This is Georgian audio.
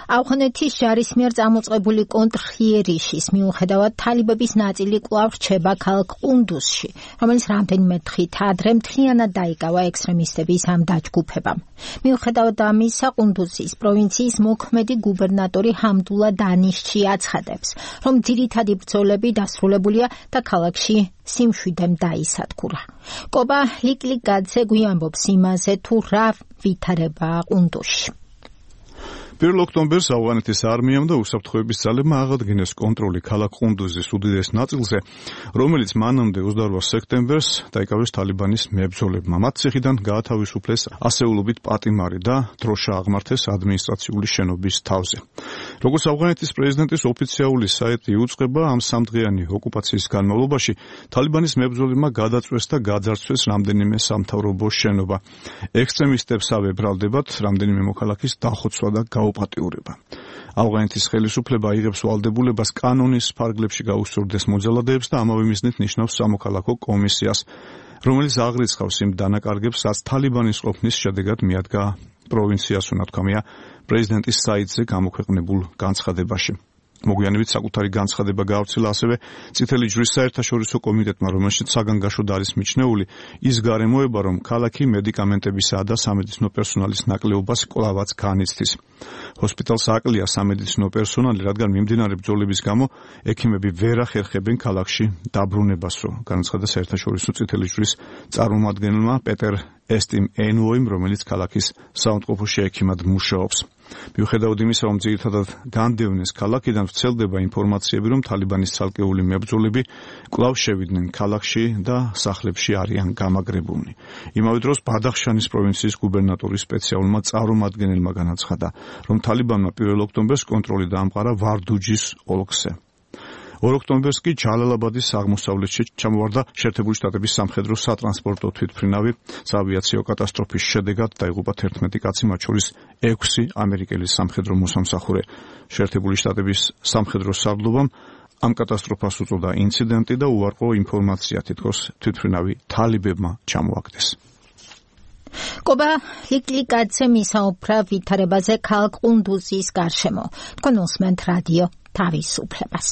ავღანეთის ჯარისმიერ წამოწყებული კონტრხიერიშის მიუხედავად თალიბების ნაწილი კვლავ რჩება ქალაქ ყუნდუზში, რომელიც რამდენიმე დღით ადრე მთლიანად დაიკავა ექსტრემისტების ამ დაჯგუფებამ. მიუხედავად ამისა, ყუნდუზის პროვინციის მოქმედი გუბერნატორი ჰამდულა დანიშჩი აცხადებს, რომ ძირითადი ბრძოლები დასრულებულია და ქალაქში სიმშვიდემ დაისადგურა. კობა ლიკლიკაძე გვიამბობს იმაზე, თუ რა ვითარებაა ყუნდუზში. 1 ოქტომბერს ავღანეთის არმიამ და უსაფრთხოების ძალებმა აღადგინეს კონტროლი ქალაქ ყუნდუზის უდიდეს ნაწილზე, რომელიც მანამდე 28 სექტემბერს დაიკავეს თალიბანის მებრძოლებმა. მათ ციხიდან გაათავისუფლეს ასეულობით პატიმარი და დროშა აღმართეს ადმინისტრაციული შენობის თავზე. როგორც ავღანეთის პრეზიდენტის ოფიციალური საიტი იუწყება, ამ სამდღიანი ოკუპაციის განმავლობაში თალიბანის მებრძოლებმა გადაწვეს და გაძარცვეს რამდენიმე სამთავრობო შენობა. ექსტრემისტებსავე ბრალდებათ რამდენიმე მოქალაქის დახოცვა და გაუპატიურება. ავღანეთის ხელისუფლება იღებს ვალდებულებას კანონის ფარგლებში გაუსწორდეს მოძალადეებს და ამავე მიზნით ნიშნავს სამოქალაქო კომისიას, რომელიც აღრიცხავს იმ დანაკარგებს, რაც თალიბანის ყოფნის შედეგად მიადგა პროვინციას, უნათქვამია პრეზიდენტის საიტზე გამოქვეყნებულ განცხადებაში. მოგვიანებით საკუთარი განცხადება გაავრცელა ასევე წითელი ჯვრის საერთაშორისო კომიტეტმა, რომელშიც საგანგაშოდ არის მიჩნეული ის გარემოება, რომ ქალაქი მედიკამენტებისა და სამედიცინო პერსონალის ნაკლებობას კვლავაც განიცდის. ჰოსპიტალს აკლია სამედიცინო პერსონალი, რადგან მიმდინარე ბრძოლების გამო ექიმები ვერ ახერხებენ ქალაქში დაბრუნებას, განაცხადა საერთაშორისო წითელი ჯვრის წარმომადგენელმა პეტერ ესტიმ ენუოიმ, რომელიც ქალაქის საავადმყოფოში ექიმად მუშაობს. მიუხედავად იმისა, რომ ძირითადად განდევნეს ქალაქიდან, ვრცელდება ინფორმაციები, რომ თალიბანის ცალკეული მებრძოლები კვლავ შევიდნენ ქალაქში და სახლებში არიან გამაგრებულნი. იმავე დროს ბადახშანის პროვინციის გუბერნატორის სპეციალურმა წარმომადგენელმა განაცხადა, რომ თალიბანმა 1 ოქტომბერს კონტროლი დაამყარა ვარდუჯის ოლქზე. 2 ოქტომბერს კი ჯალალაბადის აღმოსავლეთში ჩამოვარდა შეერთებული შტატების სამხედრო სატრანსპორტო თვითმფრინავი. საავიაციო კატასტროფის შედეგად დაიღუპა 11 კაცი, მათ შორის 6 ამერიკელი სამხედრო მოსამსახურე. შეერთებული შტატების სამხედრო სარდლობამ ამ კატასტროფას უწოდა ინციდენტი და უარყო ინფორმაცია, თითქოს თვითმფრინავი თალიბებმა ჩამოაგდეს. კობა ლიკლიკაძე მისაუბრა ვითარებაზე ქალაქ ყუნდუზის გარშემო. თქვენ უსმენთ რადიო თავისუფლებას.